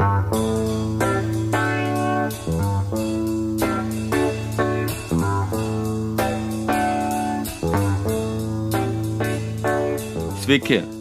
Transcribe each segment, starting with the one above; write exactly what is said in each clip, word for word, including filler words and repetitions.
Sveiki,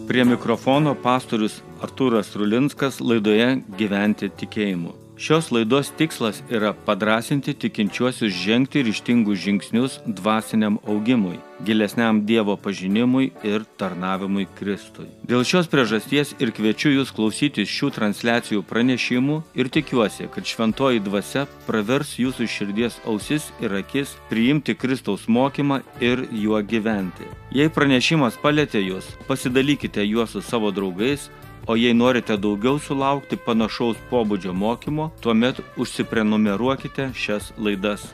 prie mikrofono pastorius Artūras Rulinskas laidoje Gyventi tikėjimu. Šios laidos tikslas yra padrąsinti tikinčiuosius žengti ryžtingus žingsnius dvasiniam augimui, gilesniam Dievo pažinimui ir tarnavimui Kristui. Dėl šios priežasties ir kviečiu jūs klausytis šių transliacijų pranešimų ir tikiuosi, kad šventoji dvasia pravers jūsų širdies ausis ir akis priimti Kristaus mokymą ir juo gyventi. Jei pranešimas palietė jūs, pasidalykite juos su savo draugais, o jei norite daugiau sulaukti panašaus pobūdžio mokymo, tuomet užsiprenumeruokite šias laidas.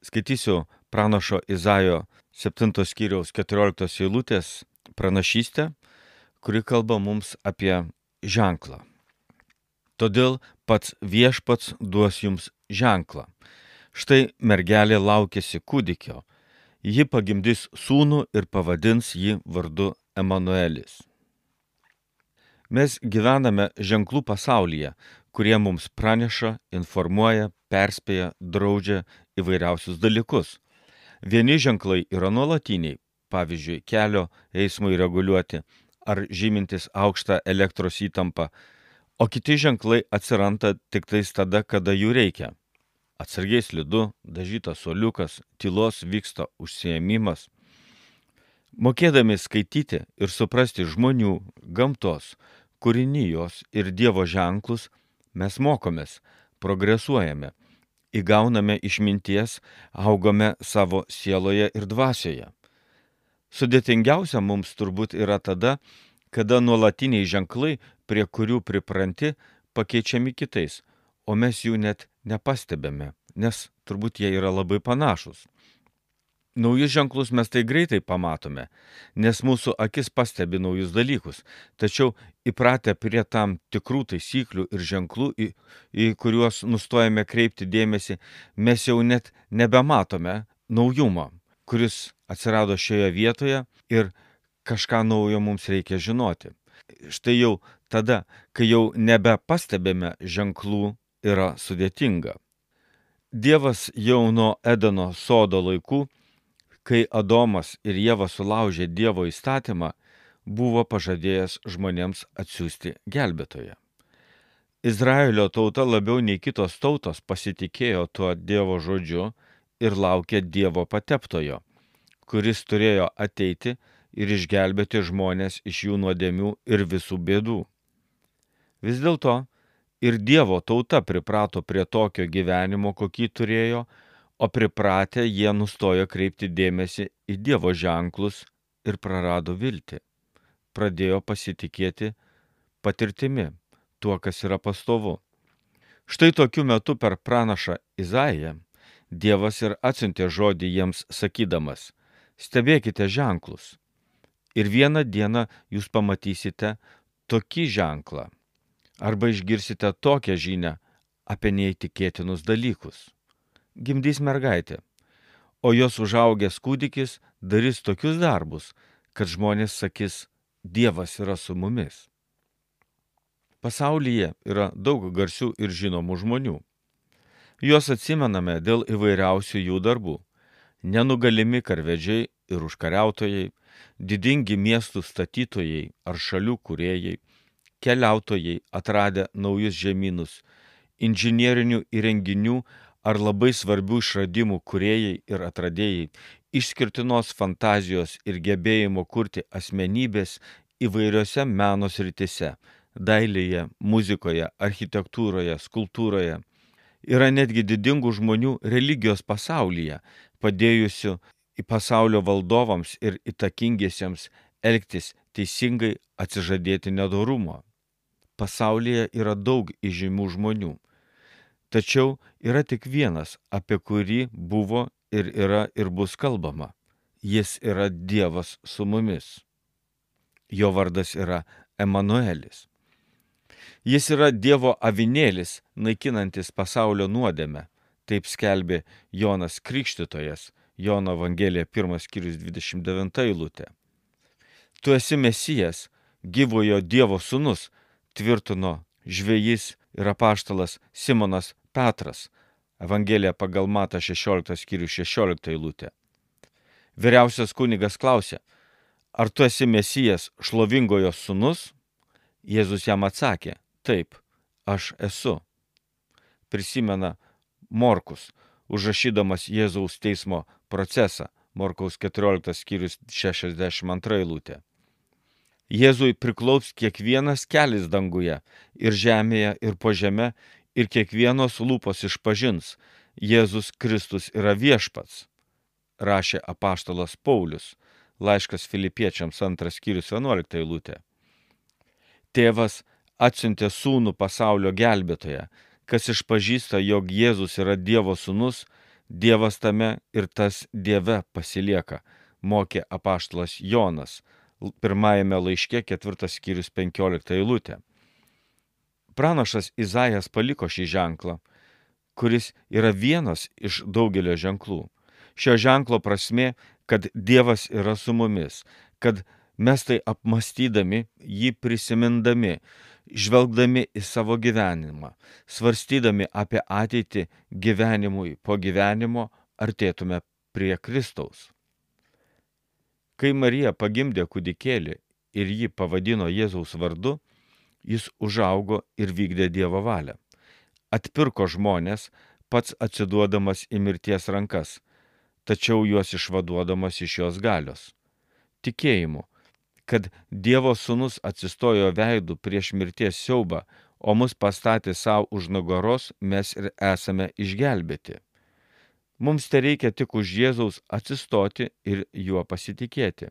Skaitysiu pranašo Izaijo septintos skyriaus keturioliktos eilutės pranašystę, kuri kalba mums apie ženklą. Todėl pats viešpats duos jums ženklą. Štai mergelė laukiasi kūdikio. Ji pagimdys sūnų ir pavadins jį vardu Emanuelis. Mes gyvename ženklų pasaulyje, kurie mums praneša, informuoja, perspėja, draudžia įvairiausius dalykus. Vieni ženklai yra nuolatiniai, pavyzdžiui, kelio eismui reguliuoti ar žymintis aukštą elektros įtampą, o kiti ženklai atsiranda tik tais tada, kada jų reikia. Atsargiai slidu, dažytas suoliukas, tylos vyksta užsiėmimas. Mokėdami skaityti ir suprasti žmonių, gamtos, kūrinijos ir Dievo ženklus, mes mokomės, progresuojame, įgauname išminties, augame savo sieloje ir dvasioje. Sudėtingiausia mums turbūt yra tada, kada nuolatiniai ženklai, prie kurių pripranti, pakeičiami kitais, o mes jų net nepastebėme, nes turbūt jie yra labai panašus. Naujus ženklus mes tai greitai pamatome, nes mūsų akis pastebi naujus dalykus, tačiau įpratę prie tam tikrų taisyklių ir ženklų, į, į kuriuos nustojame kreipti dėmesį, mes jau net nebematome naujumo, kuris atsirado šioje vietoje ir kažką naujo mums reikia žinoti. Štai jau tada, kai jau nebepastebėme ženklų, yra sudėtinga. Dievas jau nuo Edeno sodo laikų, kai Adomas ir Ieva sulaužė Dievo įstatymą, buvo pažadėjęs žmonėms atsiųsti gelbėtoją. Izraelio tauta labiau nei kitos tautos pasitikėjo tuo Dievo žodžiu ir laukė Dievo pateptojo, kuris turėjo ateiti ir išgelbėti žmonės iš jų nuodėmių ir visų bėdų. Vis dėlto ir Dievo tauta priprato prie tokio gyvenimo, kokį turėjo, o pripratę jie nustojo kreipti dėmesį į Dievo ženklus ir prarado viltį. Pradėjo pasitikėti patirtimi, tuo, kas yra pastovu. Štai tokiu metu per pranašą Izaiją Dievas ir atsiuntė žodį jiems sakydamas: stebėkite ženklus. Ir vieną dieną jūs pamatysite tokį ženklą, arba išgirsite tokią žinią apie neįtikėtinus dalykus. Gimdys mergaitė, o jos užaugęs kūdikis darys tokius darbus, kad žmonės sakys: Dievas yra su mumis. Pasaulyje yra daug garsių ir žinomų žmonių. Juos atsimename dėl įvairiausių jų darbų. Nenugalimi karvedžiai ir užkariautojai, didingi miestų statytojai ar šalių kūrėjai, keliautojai atradę naujus žemynus, inžinierinių įrenginių ar labai svarbių išradimų kūrėjai ir atradėjai, išskirtinos fantazijos ir gebėjimo kurti asmenybės įvairiose meno srityse – dailėje, muzikoje, architektūroje, skulptūroje. Yra netgi didingų žmonių religijos pasaulyje, padėjusių į pasaulio valdovams ir įtakingiesiems elgtis teisingai, atsižadėti nedorumo. Pasaulyje yra daug įžymių žmonių. Tačiau yra tik vienas, apie kurį buvo ir yra ir bus kalbama. Jis yra Dievas su mumis. Jo vardas yra Emanuelis. Jis yra Dievo avinėlis, naikinantis pasaulio nuodėmę, Taip skelbė Jonas Krikštytojas, Jono Evangelija pirmas skyrius dvidešimt devinta eilutė. Tu esi Mesijas, gyvojo Dievo sūnus, tvirtino žvejys ir apaštalas Simonas Petras, Evangelija pagal Matą šešioliktas skyrius šešiolikta eilutė. Vyriausias kunigas klausė, ar tu esi Mesijas, šlovingojo sūnus? Jėzus jam atsakė, taip, aš esu. Prisimena Morkus, užrašydamas Jėzaus teismo procesą, Morkaus keturioliktas skyrius šešiasdešimt antra eilutė. Jėzui priklaups kiekvienas kelis danguje ir žemėje ir po žeme, ir kiekvienos lūpos išpažins, Jėzus Kristus yra viešpats, rašė apaštalas Paulius, laiškas Filipiečiams antras skyrius vienuolikta eilutė. Tėvas atsiuntė sūnų pasaulio gelbėtoją, kas išpažįsta, jog Jėzus yra Dievo sūnus, Dievas tame ir tas Dieve pasilieka, mokė apaštalas Jonas, pirmajame laiške ketvirtas skyrius penkiolikta eilutė. Pranašas Izaijas paliko šį ženklą, kuris yra vienas iš daugelio ženklų. Šio ženklo prasmė, kad Dievas yra su mumis, kad mes tai apmastydami, jį prisimindami, žvelgdami į savo gyvenimą, svarstydami apie ateitį gyvenimui po gyvenimo, artėtume prie Kristaus. Kai Marija pagimdė kūdikėlį ir jį pavadino Jėzaus vardu, jis užaugo ir vykdė Dievo valią. Atpirko žmonės, pats atsiduodamas į mirties rankas, tačiau juos išvaduodamas iš jos galios. Tikėjimu, kad Dievo sūnus atsistojo veidu prieš mirties siaubą, o mus pastatė savo už nugaros, mes ir esame išgelbėti. Mums tai reikia tik už Jėzaus atsistoti ir juo pasitikėti.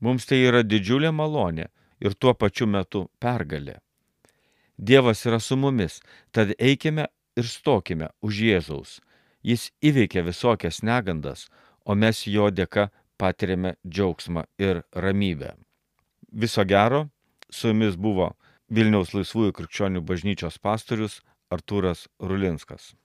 Mums tai yra didžiulė malonė ir tuo pačiu metu pergalė. Dievas yra su mumis, tad eikime ir stokime už Jėzaus. Jis įveikia visokias negandas, o mes jo dėka patiriame džiaugsmą ir ramybę. Viso gero, su jumis buvo Vilniaus Laisvųjų krikščionių bažnyčios pastorius Artūras Rulinskas.